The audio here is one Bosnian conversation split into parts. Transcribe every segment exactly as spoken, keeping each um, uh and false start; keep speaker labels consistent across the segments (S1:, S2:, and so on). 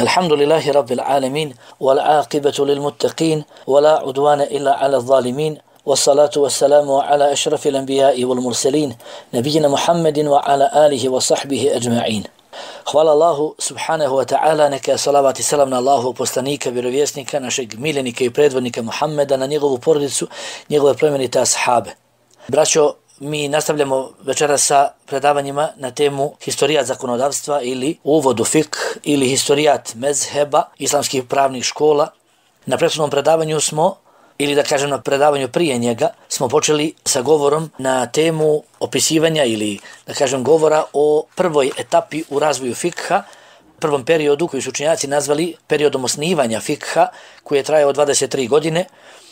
S1: الحمد لله رب العالمين والعاقبة للمتقين ولا عدوان إلا على الظالمين والصلاة والسلام على أشرف الأنبياء والمرسلين نبينا محمد وعلى آله وصحبه أجمعين. Hvala Allahu subhanahu wa ta'ala, neka je salavat i salam na Allahu poslanika, vjerovjesnika, našeg miljenika i predvodnika Muhammeda, na njegovu porodicu, njegove plemenite ashabe. Braćo, mi nastavljamo večeras sa predavanjima na temu historijat zakonodavstva ili uvod u fik ili historijat mezheba islamskih pravnih škola. Na prethodnom predavanju smo, ili da kažem na predavanju prije njega, smo počeli sa govorom na temu opisivanja ili da kažem govora o prvoj etapi u razvoju fikha, prvom periodu koji su učenjaci nazvali periodom osnivanja fikha, koji je trajao dvadeset tri godine,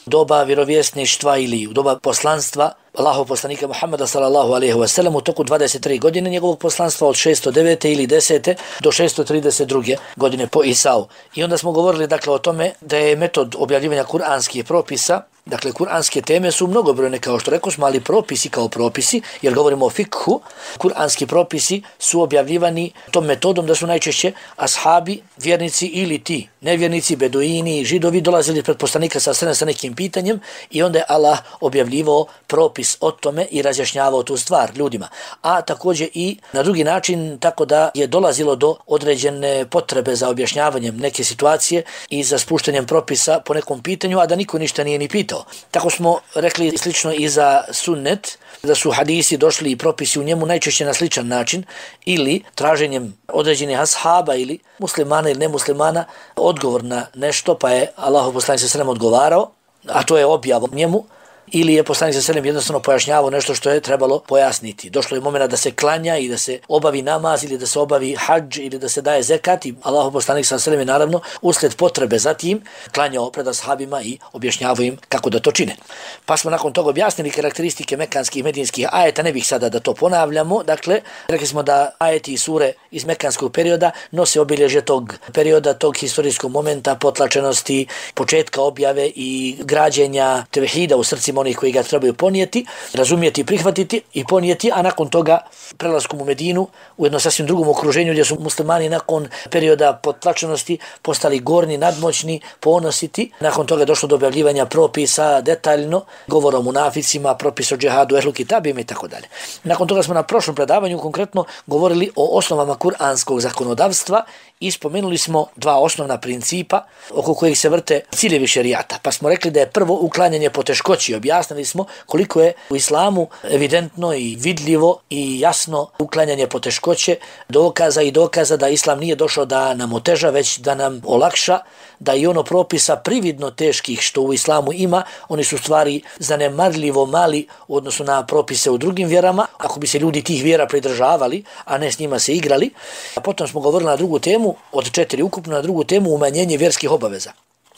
S1: doba vjerovjesništva ili u doba poslanstva Allahov poslanika Muhammeda sallallahu alejhi ve sellem u toku dvadeset tri godine njegovog poslanstva od šesto devete ili desete do šesto trideset druge godine po Isau. I onda smo govorili dakle o tome da je metod objavljivanja kuranskih propisa, dakle kuranske teme su mnogobrojne kao što rekao smo, ali propisi kao propisi, jer govorimo o fikhu, kuranski propisi su objavljivani tom metodom da su najčešće ashabi, vjernici ili ti nevjernici, beduini, židovi dolazili pred poslanika sa sa nekim pitanjem i onda je Allah objavljivao propis o tome i razjašnjavao tu stvar ljudima. A također i na drugi način tako da je dolazilo do određene potrebe za objašnjavanjem neke situacije i za spuštanjem propisa po nekom pitanju, a da niko ništa nije ni pitao. Tako smo rekli slično i za sunnet, da su hadisi došli i propisi u njemu najčešće na sličan način ili traženjem određenih ashaba ili muslimana ili nemuslimana odgovor na nešto, pa je Allahov poslanik sallallahu alejhi ve sellem odgovarao, a to je objava njemu, ili je poslanik sallallahu alejhi ve sellem jednostavno pojašnjavao nešto što je trebalo pojasniti. Došlo je momena da se klanja i da se obavi namaz ili da se obavi hadž ili da se daje zekat i Allahov poslanik sallallahu alejhi ve sellem je naravno uslijed potrebe za tim klanjao pred ashabima i objašnjavao im kako da to čine. Pa smo nakon toga objasnili karakteristike mekanskih i medinskih ajeta, ne bih sada da to ponavljamo. Dakle, rekli smo da ajeti i sure iz mekanskog perioda nose obilježje tog perioda, tog historijskog momenta, potlačenosti, početka objave i građenja tevhida u srcima onih koji ga trebaju ponijeti, razumijeti, prihvatiti i ponijeti, a nakon toga prelaskom u Medinu u jedno sasvim drugom okruženju gdje su muslimani nakon perioda potlačenosti postali gorni, nadmoćni, ponositi. Nakon toga došlo do objavljivanja propisa detaljno, govora o munaficima, propis o džihadu, ehlu kitabima i tako dalje. Nakon toga smo na prošlom predavanju konkretno govorili o osnovama kuranskog zakonodavstva i spomenuli smo dva osnovna principa oko kojih se vrte ciljevi šerijata. Pa smo rekli da je prvo uklanjanje poteškoći. Objasnili smo koliko je u islamu evidentno i vidljivo i jasno uklanjanje poteškoće, dokaza i dokaza da islam nije došao da nam oteža, već da nam olakša, da i ono propisa prividno teških što u islamu ima, oni su stvari zanemarljivo mali u odnosu na propise u drugim vjerama, ako bi se ljudi tih vjera pridržavali, a ne s njima se igrali. A potom smo govorili na drugu temu, od četiri ukupno, na drugu temu umanjenje vjerskih obaveza.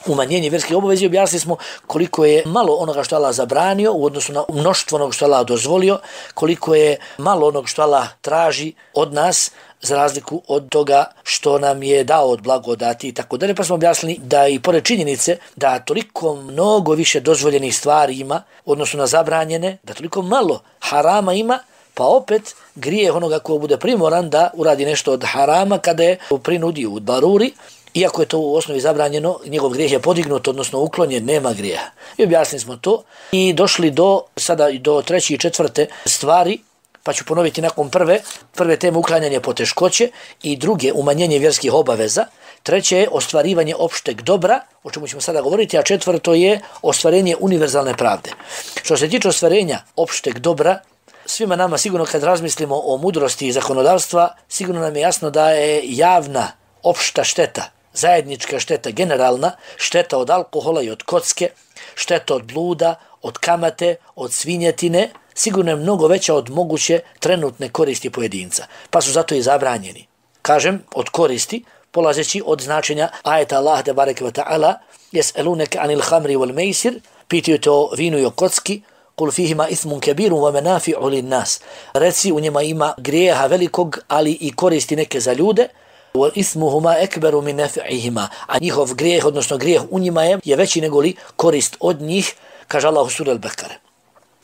S1: Umanjenje vjerskih obaveza, objasnili smo koliko je malo onoga što Allah zabranio u odnosu na mnoštvo onoga što Allah dozvolio, koliko je malo onoga što Allah traži od nas za razliku od toga što nam je dao od blagodati i tako dalje. Pa smo objasnili da i pored činjenice da toliko mnogo više dozvoljenih stvari ima u odnosu na zabranjene, da toliko malo harama ima, pa opet grijeh onoga ko bude primoran da uradi nešto od harama kada je u prinudi, u daruri, iako je to u osnovi zabranjeno, njegov grijeh je podignut, odnosno uklonjen, nema grijeha. I objasnili smo to i došli do sada do treće i četvrte stvari, pa ću ponoviti nakon prve, prve teme uklanjanje poteškoće i druge umanjenje vjerskih obaveza. Treće je ostvarivanje opšteg dobra, o čemu ćemo sada govoriti, a četvrto je ostvarenje univerzalne pravde. Što se tiče ostvarenja opšteg dobra, svima nama sigurno kad razmislimo o mudrosti i zakonodavstva, sigurno nam je jasno da je javna opšta šteta, zajednička šteta, generalna šteta od alkohola i od kocke, šteta od bluda, od kamate, od svinjetine, sigurno je mnogo veća od moguće trenutne koristi pojedinca, pa su zato i zabranjeni. Kažem, od koristi, polazeći od značenja ajeta Allah te bareke ve ta'ala, jes'eluneke anil hamri wal meisir, pitaju te o vinu i o kocki, kul fihima ismun kebirun wa menafi'u lin nas. Reci, u njima ima grijeha velikog, ali i koristi neke za ljude, wa ismuhuma ekberu min nafi'ihima, a njihov grijeh, odnosno grijeh u njima je, je veći nego li korist od njih, kaže Allah u suri Al-Bekare.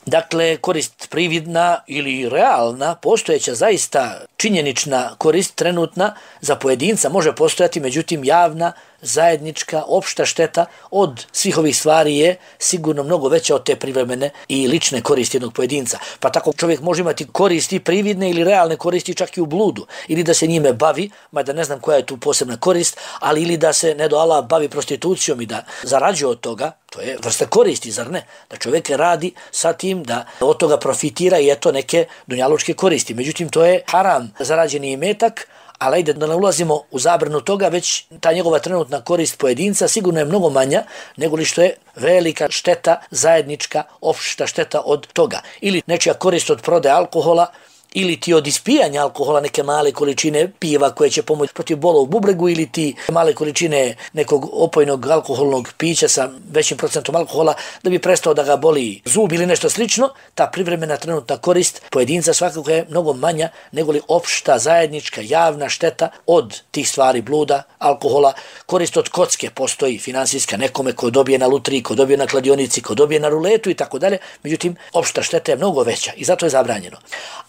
S1: Dakle, korist prividna ili realna, postojeća zaista činjenična korist trenutna za pojedinca može postojati, međutim javna, zajednička, opšta šteta od svih ovih stvari je sigurno mnogo veća od te privremene i lične koristi jednog pojedinca. Pa tako čovjek može imati koristi prividne ili realne koristi čak i u bludu, ili da se njime bavi, mada ne znam koja je tu posebna korist, ali ili da se ne do Allah bavi prostitucijom i da zarađuje od toga, to je vrsta koristi, zar ne? Da čovjek radi sa tim, da od toga profitira i eto neke dunjalučke koristi. Međutim, to je haram zarađeni imetak, ali ajde da ne ulazimo u zabranu toga, već ta njegova trenutna korist pojedinca sigurno je mnogo manja nego li što je velika šteta, zajednička, opšta šteta od toga. Ili nečija korist od prodaje alkohola, ili ti od ispijanja alkohola neke male količine piva koje će pomoći protiv bola u bubregu, ili ti male količine nekog opojnog alkoholnog pića sa većim procentom alkohola da bi prestao da ga boli zub ili nešto slično, ta privremena trenutna korist pojedinca svakako je mnogo manja nego li opšta, zajednička, javna šteta od tih stvari bluda, alkohola. Korist od kocke postoji finansijska nekome ko dobije na lutriji, ko dobije na kladionici, ko dobije na ruletu i tako dalje, međutim opšta šteta je mnogo veća i zato je zabranjeno.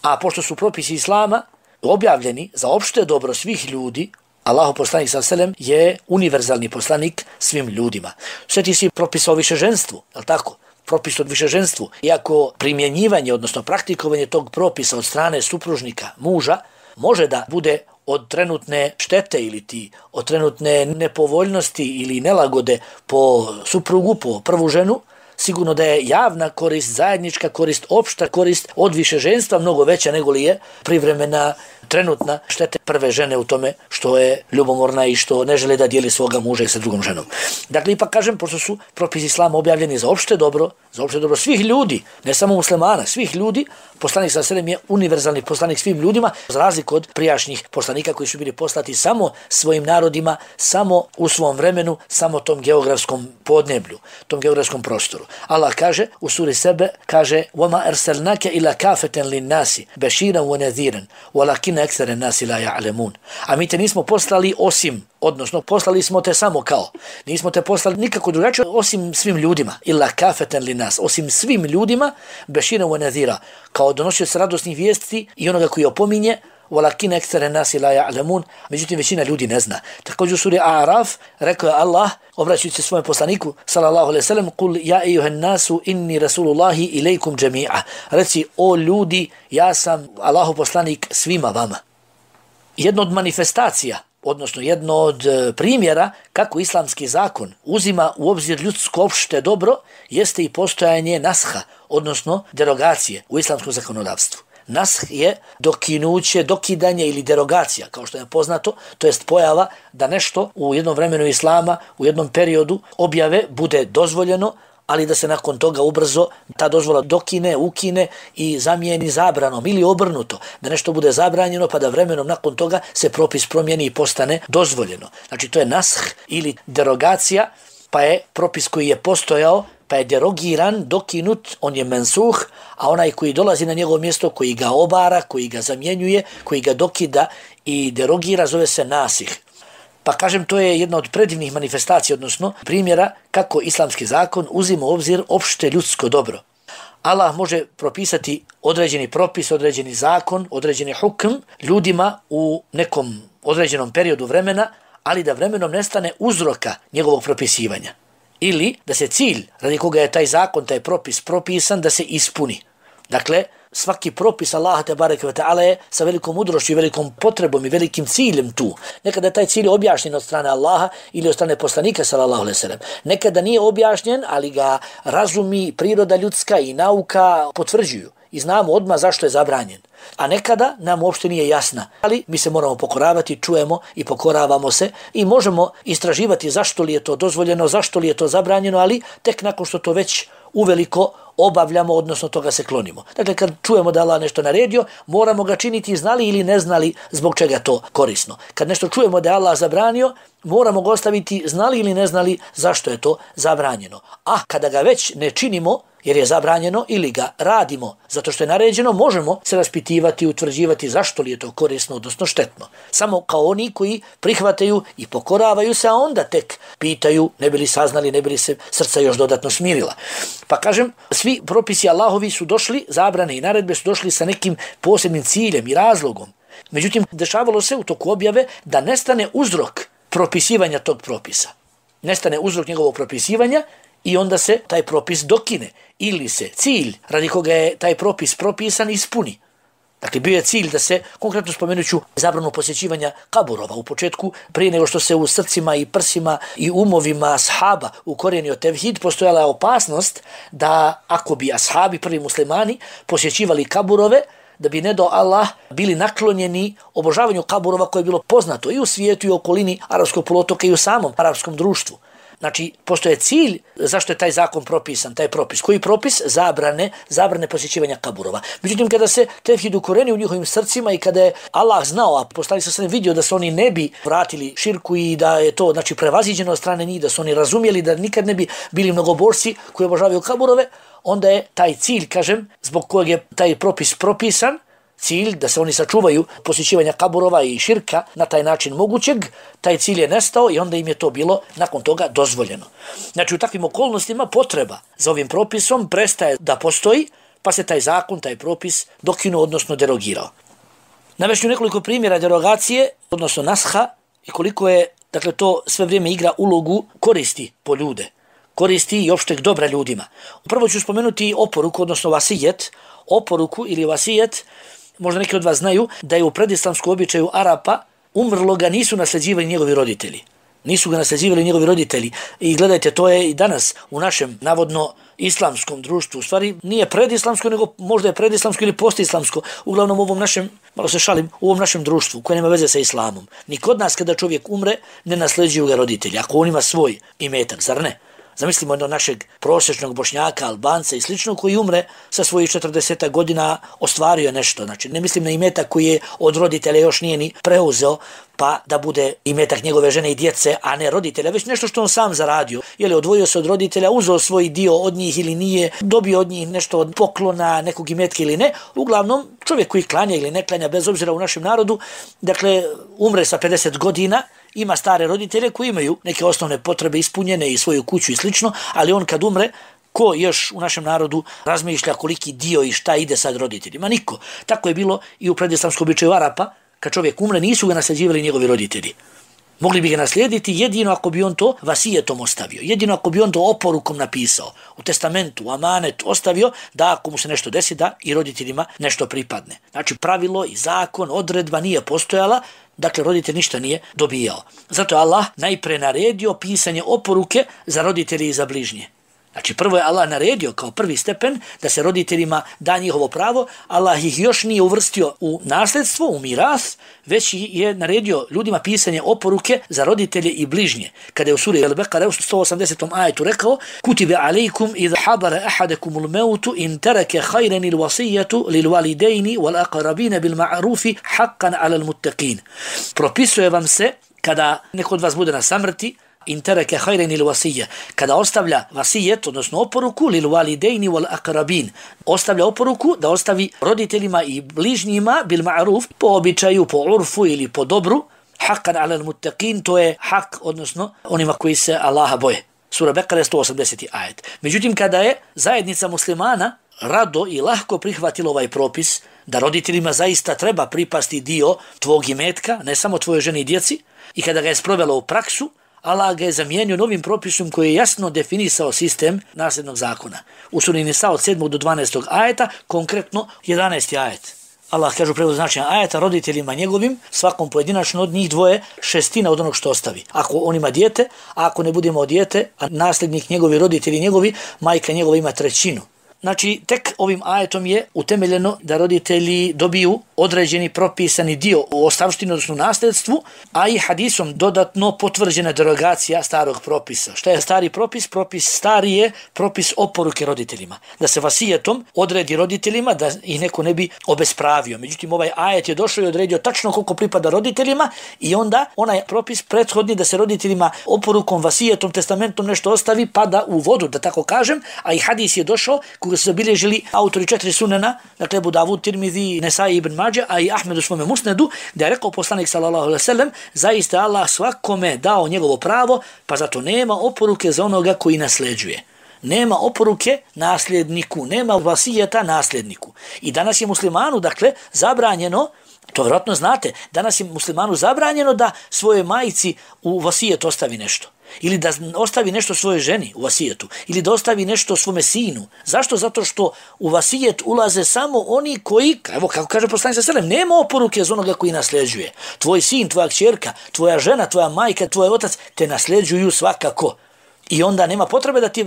S1: A pošto su propisi Islama objavljeni za opšte dobro svih ljudi, Allahu poslanik sallallahu alejhi ve sellem je univerzalni poslanik svim ljudima. Sve ti si propisa o višeženstvu, je li tako? Propis od višeženstvu. Iako primjenjivanje, odnosno praktikovanje tog propisa od strane supružnika, muža, može da bude od trenutne štete ili ti od trenutne nepovoljnosti ili nelagode po suprugu, po prvu ženu, sigurno da je javna korist, zajednička korist, opšta korist od višeženstva mnogo veća nego li je privremena, trenutna štete prve žene u tome što je ljubomorna i što ne žele da dijeli svoga muža i sa drugom ženom. Dakle, ipak kažem, pošto su propisi Islama objavljeni za opšte dobro, za opšte dobro svih ljudi, ne samo muslimana, svih ljudi, poslanik sallallahu alejhi ve sellem je univerzalni poslanik svim ljudima, za razliku od prijašnjih poslanika koji su bili poslati samo svojim narodima, samo u svom vremenu, samo tom geografskom podneblju, tom geografskom prostoru. Allah kaže u suri Sebe, kaže وَمَا أَرْسَلْنَاكَ إِلَّا كَافَةً لِلنَّاسِ بَشِيرًا وَنَذِيرًا وَلَكِنَّ أَكْثَرَ النَّاسِ لَا يَعْلَمُونَ. A mi te nismo poslali osim, odnosno poslali smo te samo kao, nismo te poslali nikako drugačije osim svim ljudima, illa kafeten li nas, osim svim ljudima, bešira wa nadhira, kao donosioc radosnih vijesti i onoga koji opominje, walakin ektere nasi la ja'lamun, međutim većina ljudi ne zna. Također u suri A'raf rekao je Allah, obraćajući se svojem poslaniku, sallallahu alejhi ve sellem, kul ja ejuhen nasu inni rasulullahi ilejkum džemi'a. Reci, o ljudi, ja sam Allahu poslanik svima vama. Jedno od manifestacija, odnosno jedno od primjera kako islamski zakon uzima u obzir ljudsko opšte dobro, jeste i postojanje nasha, odnosno derogacije u islamskom zakonodavstvu. Nash je dokinuće, dokidanje ili derogacija, kao što je poznato, to jest pojava da nešto u jednom vremenu Islama, u jednom periodu objave bude dozvoljeno, ali da se nakon toga ubrzo ta dozvola dokine, ukine i zamijeni zabranom ili obrnuto, da nešto bude zabranjeno pa da vremenom nakon toga se propis promijeni i postane dozvoljeno. Znači to je nash ili derogacija, pa je propis koji je postojao, pa je derogiran, dokinut, on je mensuh, a onaj koji dolazi na njegovo mjesto, koji ga obara, koji ga zamjenjuje, koji ga dokida i derogira, zove se nasih. Pa kažem, to je jedna od predivnih manifestacija, odnosno primjera kako islamski zakon uzima u obzir opšte ljudsko dobro. Allah može propisati određeni propis, određeni zakon, određeni hukm ljudima u nekom određenom periodu vremena, ali da vremenom nestane uzroka njegovog propisivanja. Ili da se cilj radi koga je taj zakon, taj propis propisan, da se ispuni. Dakle, svaki propis Allaha te bareke ve taala je sa velikom mudrošću i velikom potrebom i velikim ciljem tu. Nekada je taj cilj objašnjen od strane Allaha ili od strane poslanika sallallahu alejhi ve sellem. Nekada nije objašnjen, ali ga razumi priroda ljudska i nauka potvrđuju. I znamo odmah zašto je zabranjen. A nekada nam uopšte nije jasna. Ali mi se moramo pokoravati, čujemo i pokoravamo se i možemo istraživati zašto li je to dozvoljeno, zašto li je to zabranjeno, ali tek nakon što to već uveliko obavljamo, odnosno toga se klonimo. Dakle, kad čujemo da Allah nešto naredio, moramo ga činiti znali ili ne znali zbog čega to korisno. Kad nešto čujemo da je Allah zabranio, moramo ga ostaviti znali ili ne znali zašto je to zabranjeno. A kada ga već ne činimo, jer je zabranjeno, ili ga radimo zato što je naređeno, možemo se raspitivati i utvrđivati zašto li je to korisno, odnosno štetno. Samo kao oni koji prihvataju i pokoravaju se, a onda tek pitaju, ne bi li saznali, ne bi li se srca još dodatno smirila. Pa kažem, svi propisi Allahovi su došli, zabrane i naredbe su došli sa nekim posebnim ciljem i razlogom. Međutim, dešavalo se u toku objave da nestane uzrok propisivanja tog propisa. Nestane uzrok njegovog propisivanja i onda se taj propis dokine. Ili se cilj radi koga je taj propis propisan ispuni. Dakle, bio je cilj da se, konkretno spomenuću, zabranu posjećivanja kaburova. U početku, prije nego što se u srcima i prsima i umovima ashaba ukorijenio tevhid, postojala je opasnost da ako bi ashabi, prvi muslimani, posjećivali kaburove, da bi ne do Allah bili naklonjeni obožavanju kaburova koje je bilo poznato i u svijetu i u okolini arapskog poluotoka i u samom arapskom društvu. Znači, postoje cilj zašto je taj zakon propisan, taj propis. Koji propis? Zabrane, zabrane posjećivanja kaburova. Međutim, kada se tevhid ukoreni u njihovim srcima i kada je Allah znao, a poslanik sa sredem vidio da se oni ne bi vratili širku i da je to, znači, prevaziđeno od strane njih, da su oni razumjeli da nikad ne bi bili mnogoborci koji obožavaju kaburove, onda je taj cilj, kažem, zbog kojeg je taj propis propisan, cilj da se oni sačuvaju posjećivanja kaburova i širka na taj način mogućeg, taj cilj je nestao i onda im je to bilo nakon toga dozvoljeno. Znači, u takvim okolnostima potreba za ovim propisom prestaje da postoji, pa se taj zakon, taj propis dokinuo, odnosno derogirao. Navešću nekoliko primjera derogacije, odnosno nasha, i koliko je, dakle, to sve vrijeme igra ulogu koristi po ljude, koristi i opšteg dobra ljudima. Prvo ću spomenuti oporuku, odnosno vasijet, oporuku ili vasijet. Možda neki od vas znaju da je u predislamskom običaju Arapa umrlo ga nisu nasljeđivali njegovi roditelji. Nisu ga nasljeđivali njegovi roditelji. I gledajte, to je i danas u našem navodno islamskom društvu. U stvari nije predislamsko, nego možda je predislamsko ili postislamsko. Uglavnom u ovom našem, malo se šalim, u ovom našem društvu koje nema veze sa islamom. Ni kod nas kada čovjek umre ne nasljeđuju ga roditelji. Ako on ima svoj imetak, zar ne? Zamislimo jednog našeg prosječnog Bošnjaka, Albanca i slično koji umre sa svojih četrdeset godina, ostvario nešto. Znači, ne mislim na imetak koji je od roditelja još nije ni preuzeo, pa da bude imetak njegove žene i djece, a ne roditelja, već nešto što on sam zaradio. Je li odvojio se od roditelja, uzeo svoj dio od njih ili nije, dobio od njih nešto od poklona, nekog imetka ili ne. Uglavnom, čovjek koji klanja ili ne klanja, bez obzira u našem narodu, dakle, umre sa pedeset godina, ima stare roditelje koji imaju neke osnovne potrebe ispunjene i svoju kuću i slično, ali on kad umre, ko još u našem narodu razmišlja koliki dio i šta ide sad roditeljima? Niko. Tako je bilo i u predislamskom običaju Arapa, kad čovjek umre, nisu ga nasljeđivali njegovi roditelji. Mogli bi ga naslijediti jedino ako bi on to vasijetom ostavio, jedino ako bi on to oporukom napisao, u testamentu, u amanetu ostavio, da ako mu se nešto desi, da i roditeljima nešto pripadne. Znači, pravilo i zakon, odredba nije postojala, dakle, roditelj ništa nije dobijao. Zato je Allah najpre naredio pisanje oporuke za roditelji i za bližnje. Znači, prvo je Allah naredio kao prvi stepen da se roditeljima da njihovo pravo. Allah ih još nije uvrstio u nasljedstvo, u miras, već je naredio ljudima pisanje oporuke za roditelje i bližnje. Kada je u suri Al-Baqara u sto osamdesetom ajetu rekao: Kutibe alejkum idha habara ahadakumul mautu in taraka khayran al-wasiyatu lil walidayni wal aqrabin bil ma'rufi haqqan 'alal muttaqin. Propisuje vam se kada neko od vas bude na samrti, in taraka khayran al-wasiyya, kada ostavlja vasijet, odnosno oporuku lil walidaini wal aqrabin, ostavlja oporuku da ostavi roditeljima i bližnjima bil ma'ruf, po običaju, po urfu ili po dobru, haqqan 'alal muttaqin, to je hak, odnosno onima koji se Allaha boje. Sura Bekara sto osamdeseti ajet. Međutim, kada je zajednica muslimana rado i lahko prihvatila ovaj propis da roditeljima zaista treba pripasti dio tvog imetka, ne samo tvoje žene i djeci, i kada ga je sprovelo u praksu, Allah ga je zamijenio novim propisom koji je jasno definisao sistem nasljednog zakona. U suri Nisa od sedmog do dvanaestog ajeta, konkretno jedanaesti ajet. Allah kaže u prevodu značenja ajeta: roditeljima njegovim, svakom pojedinačno od njih dvoje, šestina od onog što ostavi. Ako on ima dijete, a ako ne budemo od dijete, a nasljednik njegovi, roditelji njegovi, majka njegova ima trećinu. Znači, tek ovim ajetom je utemeljeno da roditelji dobiju određeni propisani dio u ostavštini, odnosno nasljedstvu, a i hadisom dodatno potvrđena derogacija starog propisa. Šta je stari propis? Propis stari je propis oporuke roditeljima. Da se vasijetom odredi roditeljima da ih neko ne bi obespravio. Međutim, ovaj ajet je došao i odredio tačno koliko pripada roditeljima i onda onaj propis prethodni da se roditeljima oporukom, vasijetom, testamentom nešto ostavi pada u vodu, da tako kažem, a i hadis je došao koga su zabilježili autori četiri sunena, dakle Abu Davud, Tirmizi, Nesai, Ibn Mađe, a i Ahmed u svome musnedu, da je rekao poslanik sallallahu alejhi ve sellem, zaista Allah svakome dao njegovo pravo, pa zato nema oporuke za onoga koji nasljeđuje. Nema oporuke nasljedniku, nema vasijeta nasljedniku. I danas je muslimanu, dakle, zabranjeno, to vjerojatno znate, danas je muslimanu zabranjeno da svoje majci u vasijet ostavi nešto. Ili da ostavi nešto svojoj ženi u vasijetu. Ili da ostavi nešto svome sinu. Zašto? Zato što u vasijet ulaze samo oni koji, evo kako kaže poslanik sallallahu alejhi ve sellem, nema oporuke za onoga koji nasljeđuje. Tvoj sin, tvoja kćerka, tvoja žena, tvoja majka, tvoj otac te nasljeđuju svakako. I onda nema potrebe da ti,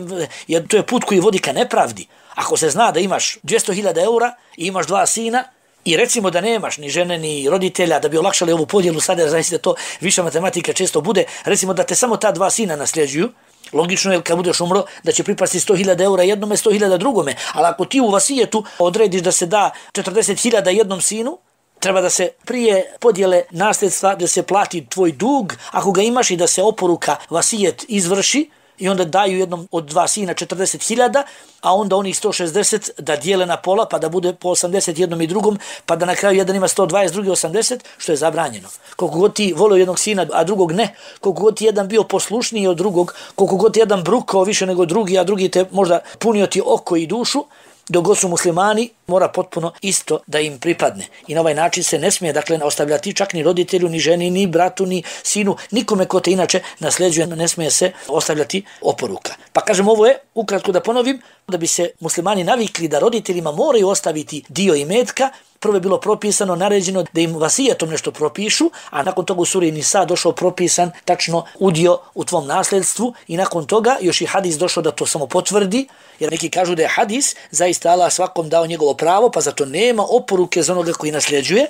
S1: jer to je put koji vodi ka nepravdi. Ako se zna da imaš dvjesto hiljada eura i imaš dva sina, i recimo da nemaš ni žene ni roditelja da bi olakšali ovu podjelu, sada znači da to viša matematika često bude, recimo da te samo ta dva sina nasljeđuju, logično je kad budeš umro da će pripasti sto hiljada eura jednome, sto hiljada drugome, ali ako ti u vasijetu odrediš da se da četrdeset hiljada jednom sinu, treba da se prije podjele nasljedstva, da se plati tvoj dug, ako ga imaš, i da se oporuka vasijet izvrši, i onda daju jednom od dva sina četrdeset hiljada, a onda onih sto šezdeset da dijele na pola, pa da bude po osamdeset jednom i drugom, pa da na kraju jedan ima sto dvadeset, drugi osamdeset, što je zabranjeno. Koliko god ti volio jednog sina, a drugog ne, koliko god ti jedan bio poslušniji od drugog, koliko god ti jedan brukao više nego drugi, a drugi te možda punio ti oko i dušu, dok god su muslimani, mora potpuno isto da im pripadne. I na ovaj način se ne smije, dakle, ostavljati čak ni roditelju, ni ženi, ni bratu, ni sinu, nikome ko te inače nasljeđuje, ne smije se ostavljati oporuka. Pa kažem, ovo je, ukratko da ponovim, da bi se muslimani navikli da roditeljima moraju ostaviti dio imetka. Prvo je bilo propisano, naređeno da im vasijetom nešto propišu, a nakon toga u suri Nisa došao propisan tačno udio u tvom nasljedstvu, i nakon toga još i hadis došao da to samo potvrdi, jer neki kažu da je hadis zaista Allah svakom dao njegovo pravo, pa zato nema oporuke za onoga koji nasljeđuje.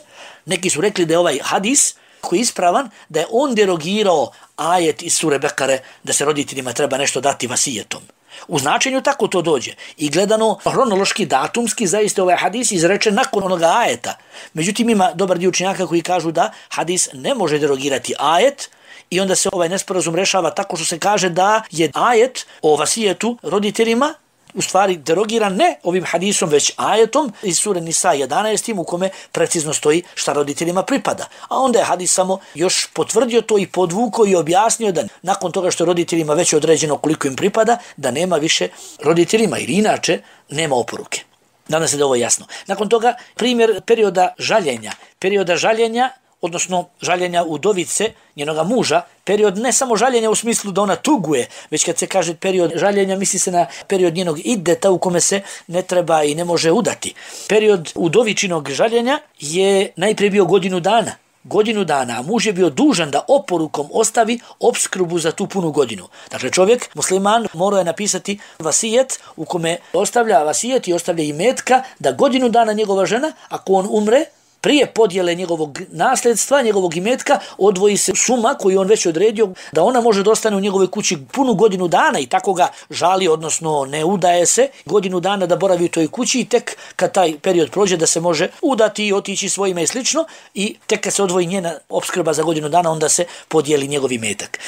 S1: Neki su rekli da je ovaj hadis koji je ispravan, da je on derogirao ajet iz sure Bekare da se roditeljima treba nešto dati vasijetom. U značenju tako to dođe. I gledano hronološki, datumski, zaista ovaj hadis izrečen nakon onoga ajeta. Međutim, ima dobar dio učenjaka koji kažu da hadis ne može derogirati ajet, i onda se ovaj nesporazum rešava tako što se kaže da je ajet o vasijetu roditeljima u stvari derogiran ne ovim hadisom, već ajetom iz sure Nisa jedanaest u kome precizno stoji šta roditeljima pripada. A onda je hadis samo još potvrdio to i podvukao i objasnio da nakon toga što roditeljima već je određeno koliko im pripada, da nema više roditeljima, ili inače nema oporuke. Nadam se da ovo je jasno. Nakon toga primjer perioda žaljenja. Perioda žaljenja, odnosno žaljenja udovice, njenoga muža, period ne samo žaljenja u smislu da ona tuguje, već kad se kaže period žaljenja, misli se na period njenog ideta u kome se ne treba i ne može udati. Period udovičinog žaljenja je najprije bio godinu dana. Godinu dana, a muž je bio dužan da oporukom ostavi opskrbu za tu punu godinu. Dakle, čovjek, musliman, morao je napisati vasijet u kome ostavlja vasijet i ostavlja imetka da godinu dana njegova žena, ako on umre, prije podjele njegovog nasljedstva, njegovog imetka, odvoji se suma koju on već odredio da ona može da ostane u njegovoj kući punu godinu dana, i tako ga žali, odnosno ne udaje se, godinu dana da boravi u toj kući, i tek kad taj period prođe da se može udati i otići svojima i slično, i tek kad se odvoji njena opskrba za godinu dana, onda se podijeli njegov imetak.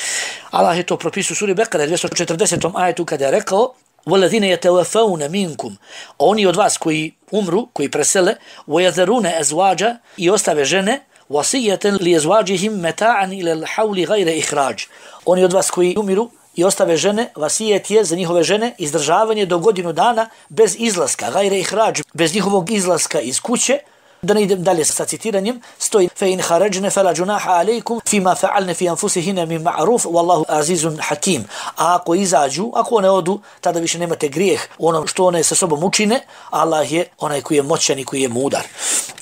S1: Allah je to propisao u suri Bekara dvjesto četrdesetom ajetu kada je rekao: وَالَّذِينَ يَتَوَفَّوْنَ مِنْكُمْ, oni od vas koji umru, koji presele, وَيَذَرُونَ أَزْوَاجًا, i ostave žene, وَصِيَّةً لِيَزْوَاجِهِمْ مَتَاعًا إِلَى الْحَوْلِ غَيْرَ إِخْرَاجٍ, oni od vas koji umiru i ostave žene, vasijet je za njihove žene izdržavanje do godinu dana bez izlaska, غَيْرَ إِخْرَاجٍ, bez njihovog izlaska iz kuće. Da ne idem dalje sa citiranjem, stoji: فَإِنْ خَرَجْنَ فَلَا جُنَاحَ عَلَيْكُمْ فِيمَا فَعَلْنَ فِي أَنفُسِهِنَّ مِنْ مَعْرُوفٍ وَاللَّهُ عَزِيزٌ حَكِيمٌ. A ako izađu, ako one odu, tada više nemate grijeh u onom što one sa sobom učine. Allah je onaj koji je moćan i koji je mudar.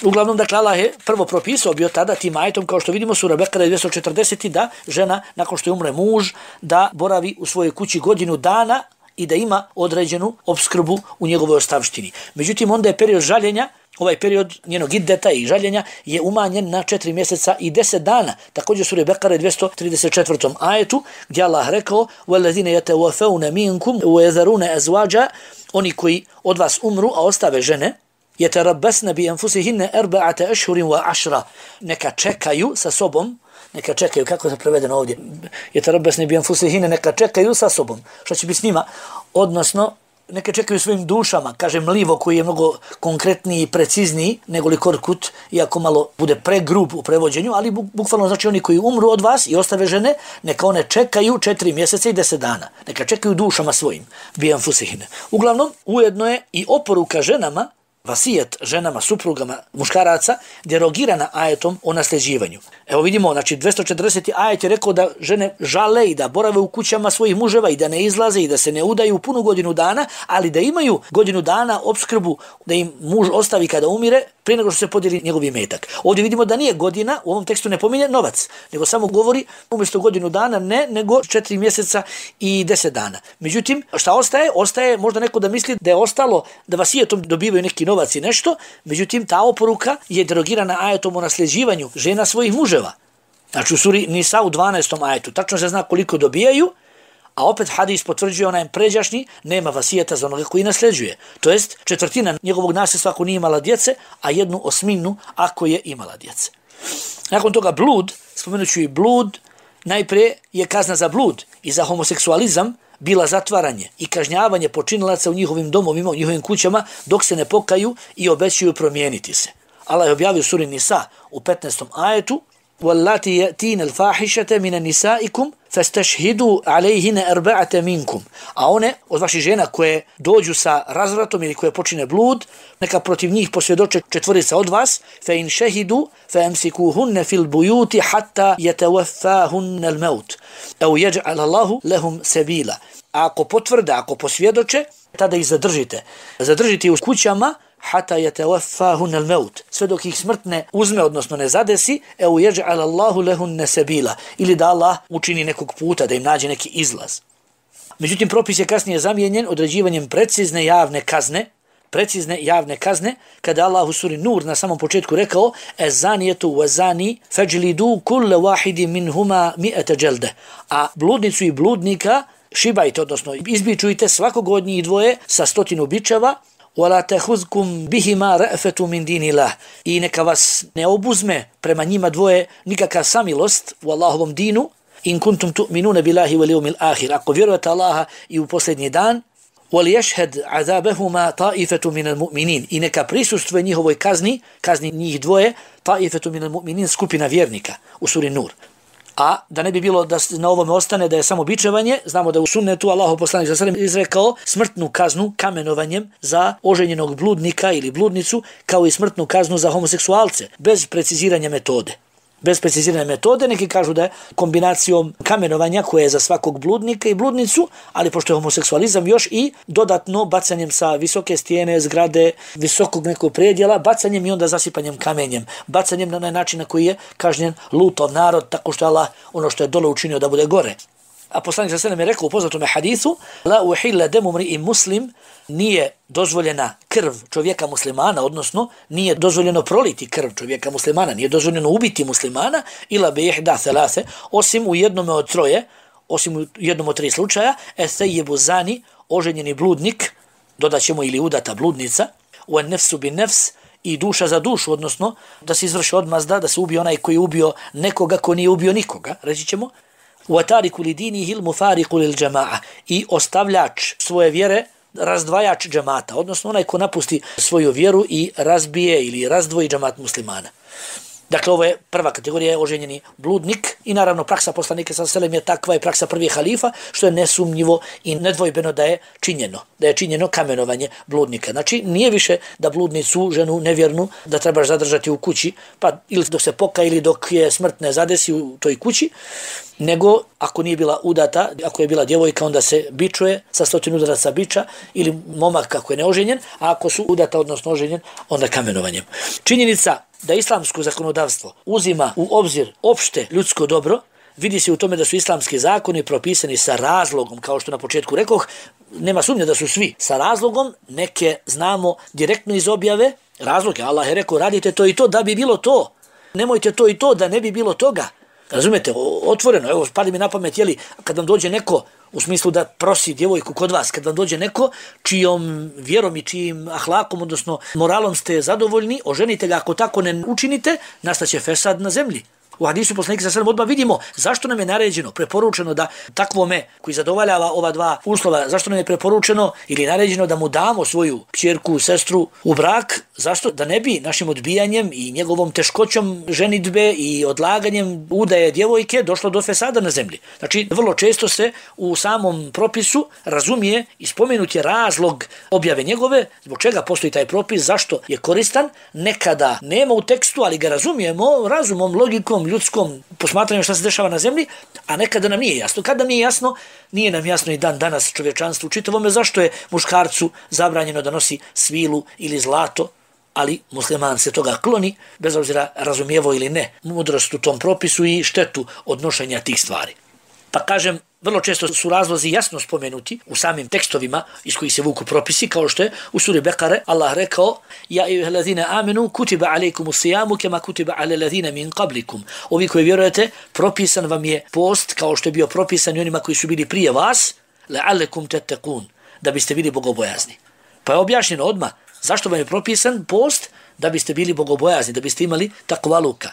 S1: Uglavnom, dakle, Allah je prvo propisao bio tada tim ajetom, kao što vidimo sura Bekara dvjesto četrdeset, da žena, nakon što je umre muž, da boravi u svojoj kući godinu dana i da ima određenu opskrbu u njegovoj ostavštini. Međutim, onda je period žaljenja ovaj period njenog iddeta i žaljenja je umanjen na četiri mjeseca i deset dana. Također sura Bekara dvjesto trideset četvrtom ajetu gdje Allah rekao وَالَّذِينَ يَتَوَفَوْنَ مِنْكُمْ وَيَذَرُونَ أَزْوَاجًا oni koji od vas umru, a ostave žene, يَتَرَبَّسْنَ بِأَنفُسِهِنَّ أَرْبَعَةَ أَشْهُرٍ وَعَشْرًا neka čekaju sa sobom, neka čekaju, kako je prevedeno ovdje, يَتَرَبَّسْنَ بِأَنفُسِهِنَّ neka čekaju sa sobom, što će biti s njima, odnosno neka čekaju svojim dušama, kaže mlivo koji je mnogo konkretniji i precizniji nego li korkut, iako malo bude pregrub u prevođenju, ali bukvalno znači oni koji umru od vas i ostave žene, neka one čekaju četiri mjeseca i deset dana. Neka čekaju dušama svojim. Bijan fusihine. Uglavnom, ujedno je i oporuka ženama, vasijet ženama, suprugama, muškaraca, derogirana ajetom o nasljeđivanju. Evo vidimo, znači dvjesto četrdeseti ajet je rekao da žene žale i da borave u kućama svojih muževa i da ne izlaze i da se ne udaju punu godinu dana, ali da imaju godinu dana opskrbu da im muž ostavi kada umire prije nego što se podijeli njegov imetak. Ovdje vidimo da nije godina, u ovom tekstu ne pominje novac, nego samo govori umjesto godinu dana ne, nego četiri mjeseca i deset dana. Međutim, šta ostaje? Ostaje možda neko da misli da je ostalo da vasijetom dobivaju neki novac i nešto, međutim ta oporuka je derogirana ajetom o nasljeđivanju žena svojih muževa. Znači u suri Nisa u dvanaestom ajetu tačno se zna koliko dobijaju, a opet hadis potvrđuje onaj pređašnji, nema vasijeta za onoga koji nasljeđuje. To jest četvrtina njegovog nasljedstva ako nije imala djece, a jednu osminu ako je imala djece. Nakon toga blud, spomenuću i blud, najprije je kazna za blud i za homoseksualizam bila zatvaranje i kažnjavanje počinilaca u njihovim domovima, u njihovim kućama, dok se ne pokaju i obećaju promijeniti se. Allah je objavio suri Nisa u petnaestom ajetu: وَاللَّاتِي يَأْتِينَ الْفَاحِشَةَ مِنَ نِسَائِكُمْ فَاسْتَشْهِدُوا عَلَيْهِنَ أَرْبَعَةَ مِنْكُمْ. A one od vaših žena koje dođu sa razvratom ili koje počine blud, neka protiv njih posvjedoče četvorica od vas, فَإِنْ شَهِدُوا فَأَمْسِكُوهُنَّ فِي الْبُيُوتِ حَتَّى يَتَوَفَّاهُنَّ الْمَوْتِ أَوْ يَجْعَلَ اللَّهُ لَهُمْ سَبِيلًا. Ako potvrde, ako posvjedoče, tada ih zadržite. Zadržite ih u kućama hata yatawaffahun al-maut, sve dok ih smrt ne uzme, odnosno ne zadesi, eu yaj'al Allahu lahun sabila, ili da Allah učini nekog puta, da im nađe neki izlaz. Međutim, propis je kasnije zamijenjen određivanjem precizne javne kazne, precizne javne kazne, kada Allah u suri Nur na samom početku rekao: "Ez-zanijetu wa-zani fajlidu kulla wahidin minhuma mi'ata jalde." A bludnicu i bludnika šibajte, odnosno izbičujte svakog od njih dvoje sa stotinu bičeva. وَلَا تَحُذْكُمْ بِهِمَا رَأْفَةُ مِنْ دِينِ اللَّهِ i neka vas ne obuzme prema njima dvoje nikakva samilost u Allahovom dinu. in kuntum tu'minuna billahi wal yawmil akhir, ako vjerujete Allaha i u posljednji dan. وَلْيَشْهَدْ عَذَابَهُمَا طَائِفَةٌ مِنَ الْمُؤْمِنِينَ i neka prisustvuje njihovoj kazni, kazni njih dvoje, طَائِفَةٌ مِنَ الْمُؤْمِنِينَ, skupina vjernika u suri Nur. A da ne bi bilo da na ovome ostane da je samo bičevanje, znamo da u sunnetu Allahov poslanik sallallahu alejhi ve sellem izrekao smrtnu kaznu kamenovanjem za oženjenog bludnika ili bludnicu, kao i smrtnu kaznu za homoseksualce, bez preciziranja metode. Bez precizirane metode, neki kažu da je kombinacijom kamenovanja koje je za svakog bludnika i bludnicu, ali pošto je homoseksualizam još i dodatno bacanjem sa visoke stijene, zgrade, visokog nekog predjela, bacanjem i onda zasipanjem kamenjem, bacanjem na onaj način na koji je kažnjen Lutov narod, tako što je Allah ono što je dole učinio da bude gore. A poslanik sallallahu alejhi ve sellem je rekao u poznatom hadisu: "La uhilla damu mri'in muslim", nije dozvoljena krv čovjeka muslimana, odnosno nije dozvoljeno proliti krv čovjeka muslimana, nije dozvoljeno ubiti muslimana, ila bi ihda thalathe, osim u jednom od troje, osim u jednom od tri slučaja, es-sayyibu zani, oženjeni bludnik, dodaćemo ili udata bludnica, wa nafsu bin nafs, i duša za dušu, odnosno da se izvrši odmazda, da se ubije onaj koji je ubio nekoga ko nije ubio nikoga, reći ćemo. وَتَارِكُ لِدِينِهِ الْمُفَارِقُ لِلْجَمَاعَ i ostavljač svoje vjere, razdvajač džamata, odnosno onaj ko napusti svoju vjeru i razbije ili razdvoji džamat muslimana. Dakle, ovo je prva kategorija, je oženjeni bludnik i naravno praksa poslanika sallallahu alejhi ve sellem je takva i praksa prvih halifa, što je nesumnjivo i nedvojbeno da je činjeno, da je činjeno kamenovanje bludnika. Znači, nije više da bludnicu, ženu nevjernu, da trebaš zadržati u kući, pa ili dok se poka ili dok je smrt ne zadesi u toj kući, nego ako nije bila udata, ako je bila djevojka, onda se bičuje sa stotinu udaraca biča, ili momak kako je neoženjen, a ako su udata, odnosno oženjen, onda kamenovanjem. Činjenica da islamsko zakonodavstvo uzima u obzir opšte ljudsko dobro, vidi se u tome da su islamski zakoni propisani sa razlogom, kao što na početku rekoh, nema sumnje da su svi sa razlogom, neke znamo direktno iz objave, razlog je, Allah je rekao radite to i to da bi bilo to. Nemojte to i to da ne bi bilo toga. Razumete, otvoreno, evo pali mi na pamet, jeli, kad vam dođe neko, u smislu da prosi djevojku kod vas, kad vam dođe neko čijom vjerom i čijim ahlakom, odnosno moralom ste zadovoljni, oženite ga, ako tako ne učinite, nastaće fesad na zemlji. U hadisu poslanika sallallahu alejhi ve sellem odmah vidimo zašto nam je naređeno, preporučeno da takvome koji zadovoljava ova dva uslova, zašto nam je preporučeno ili naređeno da mu damo svoju kćerku, sestru u brak, zašto? Da ne bi našim odbijanjem i njegovom teškoćom ženidbe i odlaganjem udaje djevojke došlo do fesada na zemlji. Znači, vrlo često se u samom propisu razumije i spomenut je razlog objave njegove, zbog čega postoji taj propis, zašto je koristan, nekada nema u tekstu, ali ga razumijemo razumom, logikom, ljudskom posmatranju šta se dešava na zemlji, a nekada nam nije jasno. Kada nam nije jasno, nije nam jasno i dan danas čovječanstvu u čitavome zašto je muškarcu zabranjeno da nosi svilu ili zlato, ali musliman se toga kloni, bez obzira razumijevo ili ne, mudrost u tom propisu i štetu od nošenja tih stvari. Pa kažem, vrlo često su razlozi jasno spomenuti u samim tekstovima iz kojih se vuku propisi, kao što je u suri Bekare Allah rekao: Ja ejuhellazina amenu kutiba alejkumus sijamu kema kutiba alel ladzina min qablikum. Ovi koji vjerujete, propisan vam je post kao što je bio propisan i onima koji su bili prije vas, la'allakum tattaqun, da biste bili bogobojazni. Pa je objašnjeno odmah zašto vam je propisan post, da biste bili bogobojazni, da biste imali takvaluka.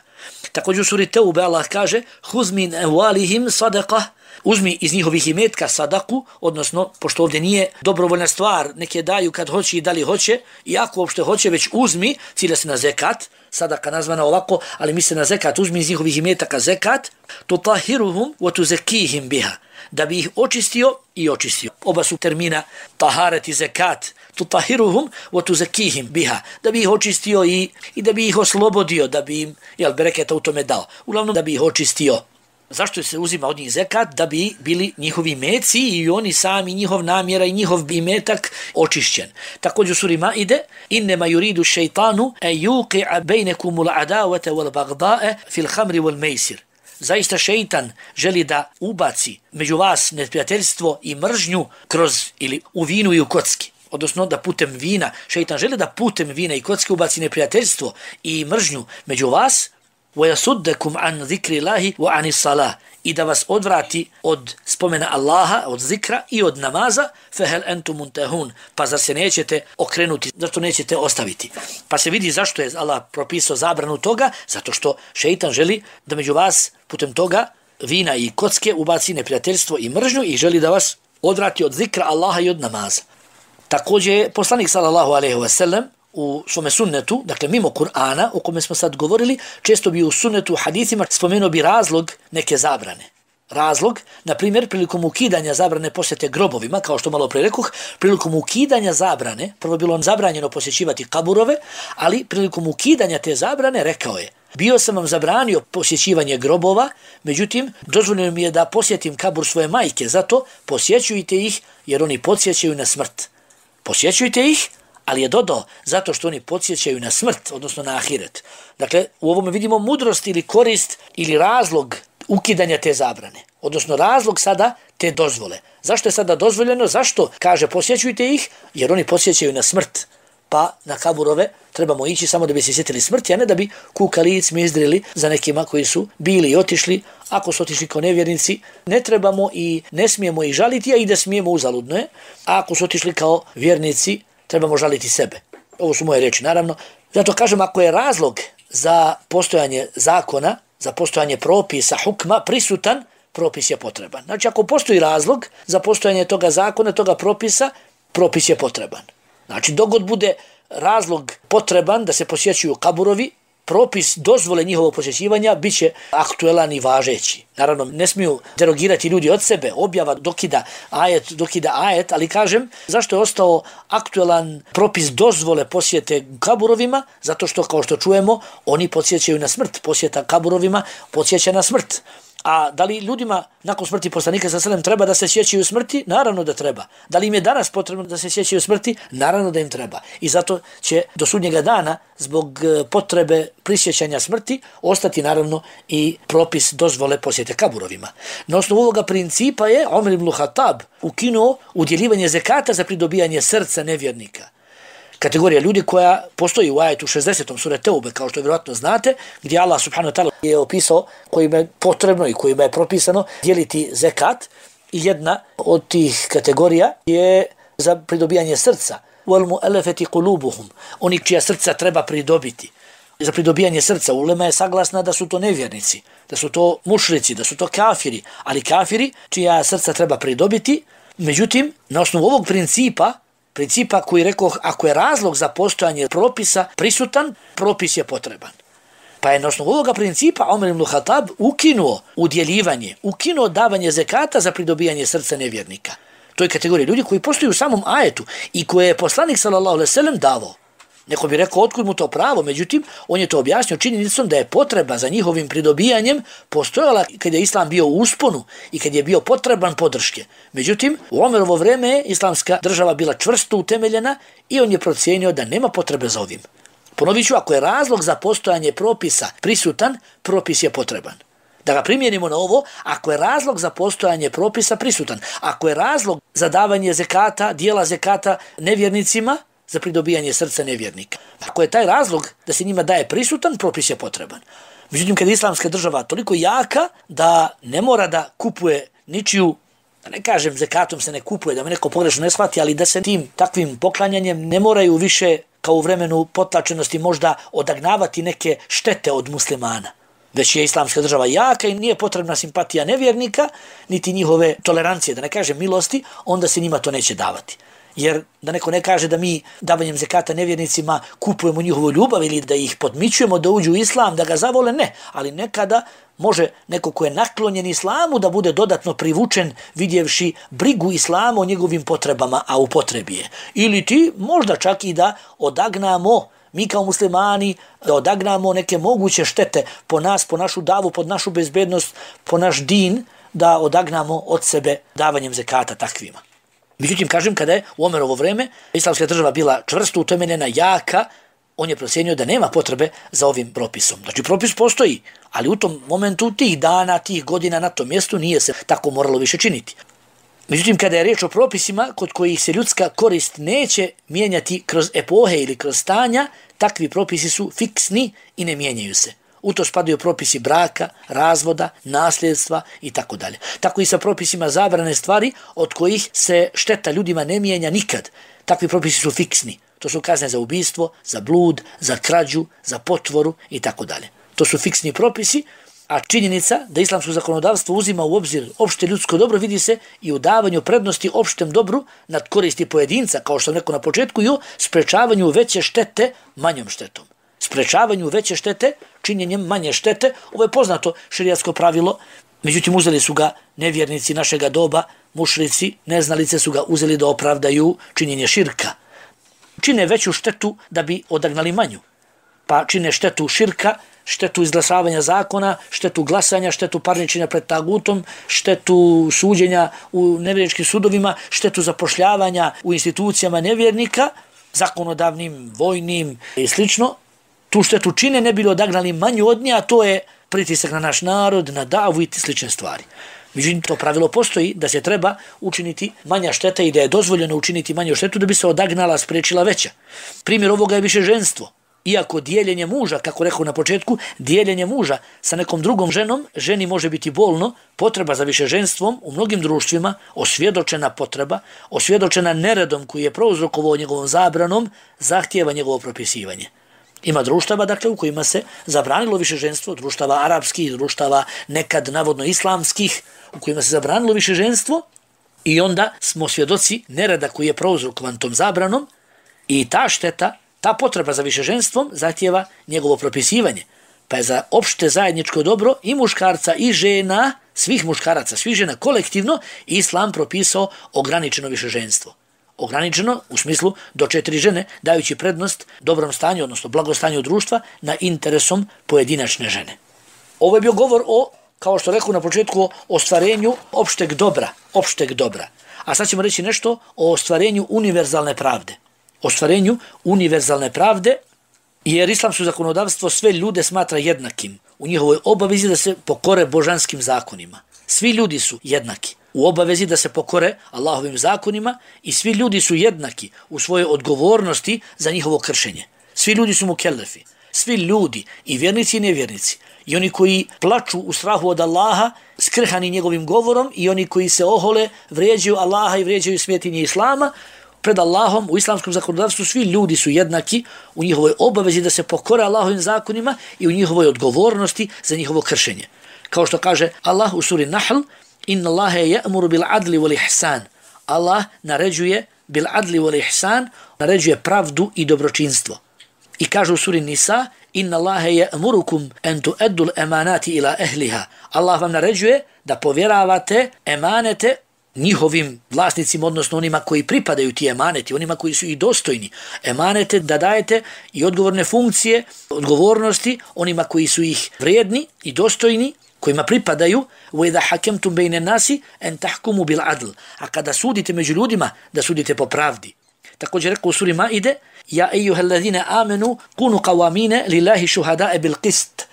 S1: Također u suri Teube Allah kaže: Huz min amwalihim sadaqa, uzmi iz njihovih imetka sadaku, odnosno, pošto ovdje nije dobrovoljna stvar, neke daju kad hoće i da li hoće, i ako uopšte hoće, već uzmi, cilja se na zekat, sadaka nazvana ovako, ali misle na zekat, uzmi iz njihovih imetaka zekat, tutahiruhum wa tuzakihim biha, da bi ih očistio i očistio. Oba su termina taharet i zekat, tutahiruhum wa tuzakihim biha, da bi ih očistio i, i da bi ih oslobodio, da bi im, jel, bereketa u tome dao. Uglavnom da bi ih očistio. Zašto se uzima od njih zekat? Da bi bili njihovi meci i oni sami, njihov namjera i njihov imetak očišćen. Također u suri Maide: Innema yuridu šeitanu e yuqi'a bejnekumul adavata wal bagdae fil hamri wal mejsir. Zaista šeitan želi da ubaci među vas neprijateljstvo i mržnju kroz ili u vinu i u kocki. Odnosno da putem vina, šeitan želi da putem vina i kocki ubaci neprijateljstvo i mržnju među vas, وَيَسُدَّكُمْ عَنْ ذِكْرِ اللَّهِ وَعَنِ الصَّلَاهِ, i da vas odvrati od spomena Allaha, od zikra i od namaza, فَهَلْ أَنْتُمْ مُنْتَهُونَ, pa zar se nećete okrenuti, zašto nećete ostaviti. Pa se vidi zašto je Allah propisao zabranu toga, zato što šeitan želi da među vas putem toga vina i kocke ubaci neprijateljstvo i mržnju i želi da vas odvrati od zikra Allaha i od namaza. Također je poslanik sallallahu alejhi ve sellem u svome sunnetu, dakle mimo Kur'ana, o kome smo sad govorili, često bi u sunnetu, hadithima spomenuo bi razlog neke zabrane. Razlog, na primjer, prilikom ukidanja zabrane posjete grobovima, kao što malo pre rekoh, prilikom ukidanja zabrane, prvo bilo on zabranjeno posjećivati kaburove, ali prilikom ukidanja te zabrane rekao je: Bio sam vam zabranio posjećivanje grobova, međutim, dozvoljeno mi je da posjetim kabur svoje majke, zato posjećujte ih jer oni podsjećaju na smrt. Posjećujte ih, ali je dodao zato što oni podsjećaju na smrt, odnosno na ahiret. Dakle, u ovome vidimo mudrost ili korist ili razlog ukidanja te zabrane, odnosno razlog sada te dozvole. Zašto je sada dozvoljeno? Zašto? Kaže posjećujte ih, jer oni podsjećaju na smrt. Pa na kaburove trebamo ići samo da bi se sjetili smrti, a ne da bi kukali i cmizdrili za nekima koji su bili i otišli. Ako su otišli kao nevjernici, ne trebamo i ne smijemo ih žaliti, a i da smijemo uzaludno je. A ako su otišli kao vjernici, trebamo žaliti sebe. Ovo su moje reči, naravno. Zato kažem, ako je razlog za postojanje zakona, za postojanje propisa, hukma, prisutan, propis je potreban. Znači, ako postoji razlog za postojanje toga zakona, toga propisa, propis je potreban. Znači, dogod bude razlog potreban da se posjećuju kaburovi, propis dozvole njihovog posjećivanja bit će aktuelan i važeći. Naravno, ne smiju derogirati ljudi od sebe, objava dokida ajet, dokida ajet, ali kažem, zašto je ostao aktuelan propis dozvole posjete kaburovima? Zato što, kao što čujemo, oni podsjećaju na smrt. Posjeta kaburovima podsjeća na smrt. A da li ljudima nakon smrti poslanika sallallahu alejhi ve sellem treba da se sjećaju smrti? Naravno da treba. Da li im je danas potrebno da se sjećaju smrti? Naravno da im treba. I zato će do sudnjega dana zbog potrebe prisjećanja smrti ostati naravno i propis dozvole posjete kaburovima. Na osnovu ovoga principa je Omer ibn Khattab ukinuo udjeljivanje zekata za pridobijanje srca nevjernika. kategorija ljudi koja postoji u ajetu šezdesetom sure Teube, kao što vjerojatno znate, gdje Allah subhanahu wa ta'ala je opisao kojima je potrebno i kojima je propisano dijeliti zekat. I jedna od tih kategorija je za pridobijanje srca. وَالْمُؤَلَّفَةِ قُلُوبُهُمْ Oni čija srca treba pridobiti. Za pridobijanje srca ulema je saglasna da su to nevjernici, da su to mušrici, da su to kafiri, ali kafiri čija srca treba pridobiti. Međutim, na osnovu ovog principa, principa koji rekoh, ako je razlog za postojanje propisa prisutan, propis je potreban. Pa je na osnovu ovoga principa Omer ibn Khattab ukinuo udjeljivanje, ukinuo davanje zekata za pridobijanje srca nevjernika. To je kategorija ljudi koji postoji u samom ajetu i koje je poslanik sallallahu alejhi ve sellem davao. Neko bi rekao otkud mu to pravo, međutim on je to objasnio činjenicom da je potreba za njihovim pridobijanjem postojala kad je islam bio u usponu i kad je bio potreban podrške. Međutim, u Omerovo vrijeme je islamska država bila čvrsto utemeljena i on je procijenio da nema potrebe za ovim. Ponovit ću, ako je razlog za postojanje propisa prisutan, propis je potreban. Da ga primijenimo na ovo, ako je razlog za postojanje propisa prisutan, ako je razlog za davanje zekata, dijela zekata nevjernicima, za pridobijanje srca nevjernika. Ako je taj razlog da se njima daje prisutan, propis je potreban. Međutim, kad je islamska država toliko jaka da ne mora da kupuje ničiju, da ne kažem zekatom se ne kupuje, da me neko pogrešno ne shvati, ali da se tim takvim poklanjanjem ne moraju više kao u vremenu potlačenosti možda odagnavati neke štete od muslimana. Već je islamska država jaka i nije potrebna simpatija nevjernika, niti njihove tolerancije, da ne kažem milosti, onda se njima to neće davati. Jer da neko ne kaže da mi davanjem zekata nevjernicima kupujemo njihovu ljubav ili da ih podmićujemo da uđu u islam, da ga zavole, ne. Ali nekada može neko ko je naklonjen islamu da bude dodatno privučen vidjevši brigu islama o njegovim potrebama, a u potrebi je. Ili ti možda čak i da odagnamo, mi kao muslimani, da odagnamo neke moguće štete po nas, po našu davu, pod našu bezbednost, po naš din, da odagnamo od sebe davanjem zekata takvima. Međutim, kažem, kada je u Omerovo vrijeme islamska država bila čvrsto utemeljena, jaka, on je procjenio da nema potrebe za ovim propisom. Znači, propis postoji, ali u tom momentu, tih dana, tih godina na tom mjestu nije se tako moralo više činiti. Međutim, kada je riječ o propisima kod kojih se ljudska korist neće mijenjati kroz epohe ili kroz stanja, takvi propisi su fiksni i ne mijenjaju se. U to spadaju propisi braka, razvoda, nasljedstva i tako dalje. Tako i sa propisima zabrane stvari od kojih se šteta ljudima ne mijenja nikad. Takvi propisi su fiksni. To su kazne za ubistvo, za blud, za krađu, za potvoru i tako dalje. To su fiksni propisi, a činjenica da islamsko zakonodavstvo uzima u obzir opšte ljudsko dobro vidi se i u davanju prednosti opštem dobru nad koristi pojedinca, kao što sam rekao na početku, i u sprečavanju veće štete manjom štetom. Sprečavanju veće štete činjenjem manje štete. Ovo je poznato šerijatsko pravilo, međutim uzeli su ga nevjernici našega doba, mušrici, neznalice su ga uzeli da opravdaju činjenje širka. Čine veću štetu da bi odagnali manju. Pa čine štetu širka, štetu izglasavanja zakona, štetu glasanja, štetu parničenja pred tagutom, štetu suđenja u nevjerničkim sudovima, štetu zapošljavanja u institucijama nevjernika, zakonodavnim, vojnim i slično. Tu štetu čine ne bili odagnali manju od nje, a to je pritisak na naš narod, na davu i slične stvari. Međutim, to pravilo postoji da se treba učiniti manja šteta i da je dozvoljeno učiniti manju štetu da bi se odagnala, spriječila veća. Primjer ovoga je višeženstvo. Iako dijeljenje muža, kako rekao na početku, dijeljenje muža sa nekom drugom ženom, ženi može biti bolno, potreba za višeženstvom u mnogim društvima, osvjedočena potreba, osvjedočena neredom koji je prouzrokovao njegovom zabranom, zahtijeva njegovo propisivanje. Ima društava, dakle, u kojima se zabranilo višeženstvo, društava arapskih, društava nekad navodno islamskih, u kojima se zabranilo višeženstvo i onda smo svjedoci nereda koji je prouzrokovan tom zabranom i ta šteta, ta potreba za višeženstvom zahtijeva njegovo propisivanje. Pa je za opšte zajedničko dobro i muškarca i žena, svih muškaraca, svih žena kolektivno, islam propisao ograničeno višeženstvo. Ograničeno u smislu do četiri žene, dajući prednost dobrom stanju, odnosno blagostanju društva na interesom pojedinačne žene. Ovo je bio govor o, kao što rekao na početku, o ostvarenju opšteg dobra, opšteg dobra. A sad ćemo reći nešto o ostvarenju univerzalne pravde. Ostvarenju univerzalne pravde, jer islamsko zakonodavstvo sve ljude smatra jednakim u njihovoj obavezi da se pokore božanskim zakonima. Svi ljudi su jednaki. u obavezi da se pokore Allahovim zakonima i svi ljudi su jednaki u svojoj odgovornosti za njihovo kršenje. Svi ljudi su mukellefi. Svi ljudi, i vjernici i nevjernici, i oni koji plaču u strahu od Allaha, skrhani njegovim govorom, i oni koji se ohole, vrijeđaju Allaha i vrijeđaju svjetinje Islama, pred Allahom u islamskom zakonodavstvu svi ljudi su jednaki u njihovoj obavezi da se pokore Allahovim zakonima i u njihovoj odgovornosti za njihovo kršenje. Kao što kaže Allah u suri Nahl, inna Allahe ya'muru bil adli wal ihsan. Allah naređuje bil adli wal ihsan, naređuje pravdu i dobročinstvo. I kaže u suri Nisa, inna Allahe ya'murukum an tu'addu al-amanati ila ahliha. Allah vam naređuje da povjeravate emanete njihovim vlasnicima, odnosno onima koji pripadaju ti emaneti, onima koji su i dostojni. Emanete da dajete i odgovorne funkcije, odgovornosti onima koji su ih vrijedni i dostojni, kojima pripadaju. وَإِذَا حَكَمْتُمْ بَيْنَ النَّاسِ أَنْ تَحْكُمُوا بِالْعَدْلِ. A kada sudite među ljudima, da sudite po pravdi. Također rekao u suri Maide, ja ejuha alladhina amanu kunu qawamina lillahi shuhada'a bil qist.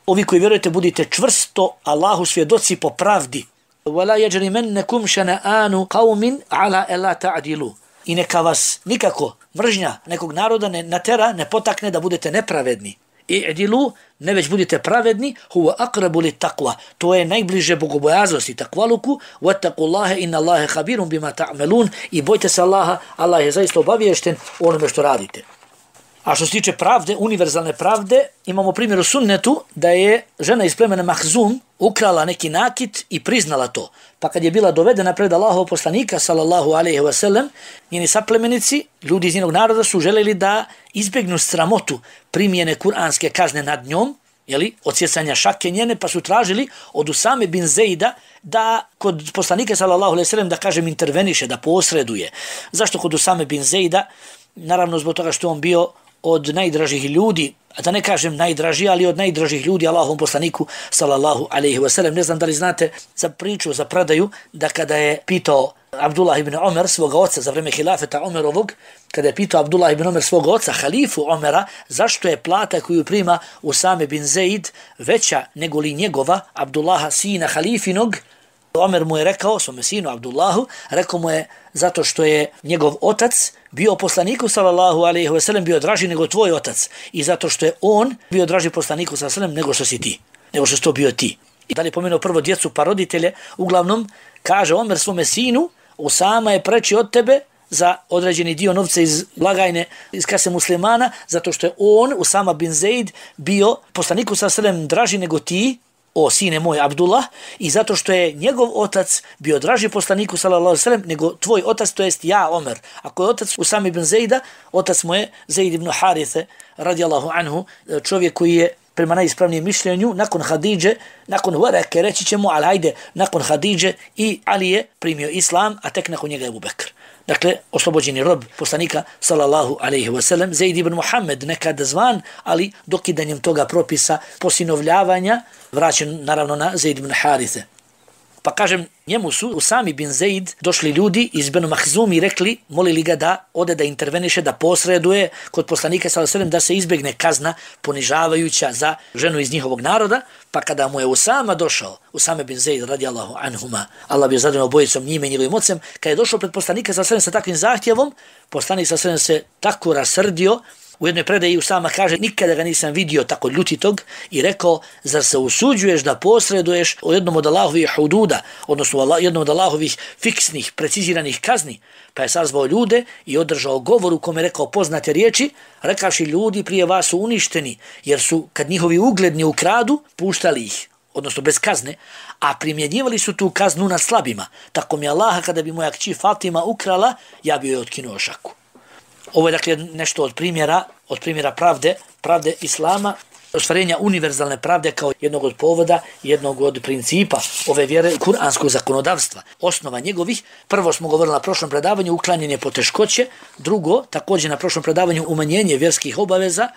S1: Ovi koji vjerujete budite čvrsto Allahu svjedoci po pravdi. Wala yajrimannakum shana'anu qaumin ala alla ta'dilu. I neka vas nikako mržnja nekog naroda ne natera, ne potakne da budete nepravedni. I'dilu, ne već budite pravedni, huwa aqrabu lit taqwa. To je najbliže bogobojaznosti, takvaluku. Wattaqullaha inna Allaha khabirun bima ta'malun. I bojte se Allaha, Allah je zaista obaviješten o onome što radite. A što se tiče pravde, univerzalne pravde, imamo primjer u sunnetu da je žena iz plemena Mahzum ukrala neki nakit i priznala to. Pa kad je bila dovedena pred Allahovog poslanika, sallallahu alejhi ve sellem, njeni saplemenici, ljudi iz njenog naroda, su želeli da izbjegnu sramotu primjene kuranske kazne nad njom, jeli, odsjecanja šake njene, pa su tražili od Usame bin Zejda da kod poslanika, sallallahu alejhi ve sellem, da kažem interveniše, da posreduje. Zašto kod Usame bin Zejda? Naravno zbog toga što on bio od najdražih ljudi, a da ne kažem najdraži, ali od najdražih ljudi Allahovom poslaniku, sallallahu alejhi ve sellem. Ne znam da li znate za priču, za predaju, da kada je pitao Abdullah ibn Omer svoga oca za vreme hilafeta Omerovog, kada je pitao Abdullah ibn Omer svoga oca, halifu Omera, zašto je plata koju prima Usame bin Zeid veća nego li njegova, Abdullaha, sina halifinog, Omer mu je rekao, svome sinu Abdullahu, rekao mu je zato što je njegov otac bio poslaniku, sallallahu alejhi ve sellem, bio draži nego tvoj otac. I zato što je on bio draži poslaniku, sallallahu alejhi ve sellem, nego što si ti, nego što si to bio ti. I da li je pomenuo prvo djecu pa roditelje, uglavnom kaže Omer svome sinu, Usama je preči od tebe za određeni dio novca iz blagajne, iz kase muslimana, zato što je on, Usama bin Zeid, bio poslaniku, sallallahu alejhi ve sellem, draži nego ti, o sine moj Abdullah, i zato što je njegov otac bio draži poslaniku, sallallahu alejhi ve sellem, nego tvoj otac, to jest ja, Omer. Ako je otac Usama ibn Zejda, otac mu je Zeid ibn Harithe, radijallahu anhu, čovjek koji je prema najispravnijem mišljenju, nakon Hadidže, nakon Vareke, reći ćemo, ali hajde, nakon Hadidže i Ali je primio islam, a tek nakon njega je Abu Bekr. Dakle, oslobođeni rob poslanika, sallallahu alejhi ve sellem, Zeid ibn Muhammed, nekada zvan, ali dokidanjem toga propisa posinovljavanja, vraćen naravno na Zeid ibn Harithe. Pa kažem, njemu su Usami bin Zeid došli ljudi iz Benu Mahzum i rekli, molili ga da ode da interveniše, da posreduje kod poslanika, sallallahu alejhi ve sellem, da se izbjegne kazna ponižavajuća za ženu iz njihovog naroda. Pa kada mu je Usama došao, Usame bin Zeid radijallahu anhuma, Allah bi zadovoljno obojicom njime i njegovim ocem, kada je došao pred poslanika, sallallahu alejhi ve sellem, sa takvim zahtjevom, poslanik, sallallahu alejhi ve sellem, se tako rasrdio. U jednoj predaji Usama kaže, nikada ga nisam vidio tako ljutitog, i rekao, zar se usuđuješ da posreduješ o jednom od Allahovih hududa, odnosno jednom od Allahovih fiksnih, preciziranih kazni? Pa je sazvao ljude i održao govor u kome je rekao poznate riječi, rekavši, ljudi prije vas su uništeni, jer su, kad njihovi ugledni ukradu, puštali ih, odnosno bez kazne, a primjenjivali su tu kaznu na slabima. Tako mi Allaha, kada bi moja kći Fatima ukrala, ja bi joj otkinuo šaku. Ovo je dakle nešto od primjera, od primjera pravde, pravde Islama, ostvarenja univerzalne pravde kao jednog od povoda, jednog od principa ove vjere kuranskog zakonodavstva. Osnova njegovih, prvo smo govorili na prošlom predavanju, uklanjanje poteškoće, drugo, također na prošlom predavanju, umanjenje vjerskih obaveza,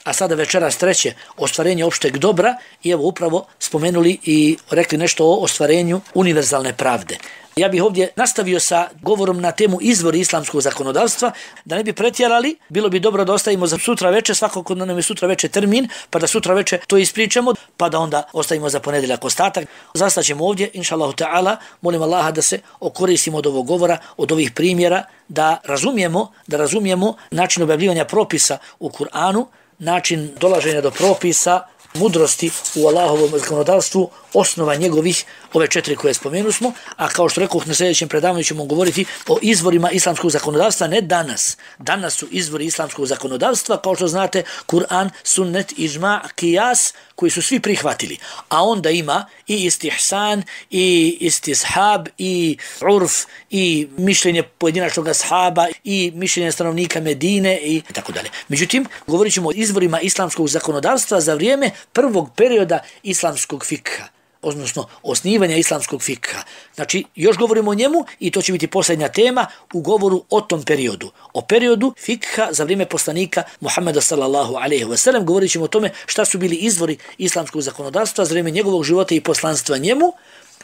S1: a sada večeras treće, ostvarenje opšteg dobra, i evo upravo spomenuli i rekli nešto o ostvarenju univerzalne pravde. Ja bih ovdje nastavio sa govorom na temu izvori islamskog zakonodavstva, da ne bi pretjerali, bilo bi dobro da ostavimo za sutra večer, svako kod nam je sutra večer termin, pa da sutra večer to ispričamo, pa da onda ostavimo za ponedjeljak ostatak. Zastaćemo ovdje, inšallahu ta'ala, molim Allaha da se okoristimo od ovog govora, od ovih primjera, da razumijemo, da razumijemo način objavljivanja propisa u Kur'anu, način dolaženja do propisa, mudrosti u Allahovom zakonodavstvu, osnova njegovih, ove četiri koje spomenu smo, a kao što rekao na sljedećem predavanju ćemo govoriti o izvorima islamskog zakonodavstva, ne danas. Danas su izvori islamskog zakonodavstva, kao što znate, Kur'an, sunnet, ižma, kijas, koji su svi prihvatili. A onda ima i istihsan, i istishab, i urf, i mišljenje pojedinačnog ashaba, i mišljenje stanovnika Medine, i tako dalje. Međutim, govorit ćemo o izvorima islamskog zakonodavstva za vrijeme prvog perioda islamskog fikha, odnosno osnivanja islamskog fikha. Znači, još govorimo o njemu i to će biti posljednja tema u govoru o tom periodu. O periodu fikha za vrijeme poslanika Muhammeda sallallahu alejhi ve sellem. Govorit ćemo o tome šta su bili izvori islamskog zakonodavstva za vrijeme njegovog života i poslanstva njemu,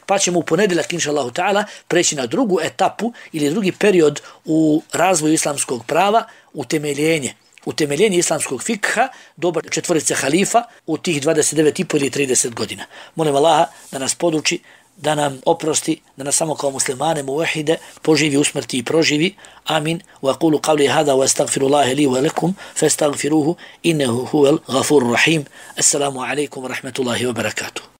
S1: pa ćemo u ponedjeljak, inšallahu ta'ala, preći na drugu etapu ili drugi period u razvoju islamskog prava, utemeljenje. utemeljenje islamskog fikha, doba četvorice halifa u tih dvadeset devet i po ili trideset godina. Molim Allaha da nas poduči, da nam oprosti, da nas samo kao muslimane muvahide poživi, usmrti i proživi. Amin. Wa aqulu qawli hadha wa astaghfirullaha li wa lakum fastaghfiruhu innahu huwal ghafurur rahim. Assalamu alaikum wa rahmatullahi wa barakatuh.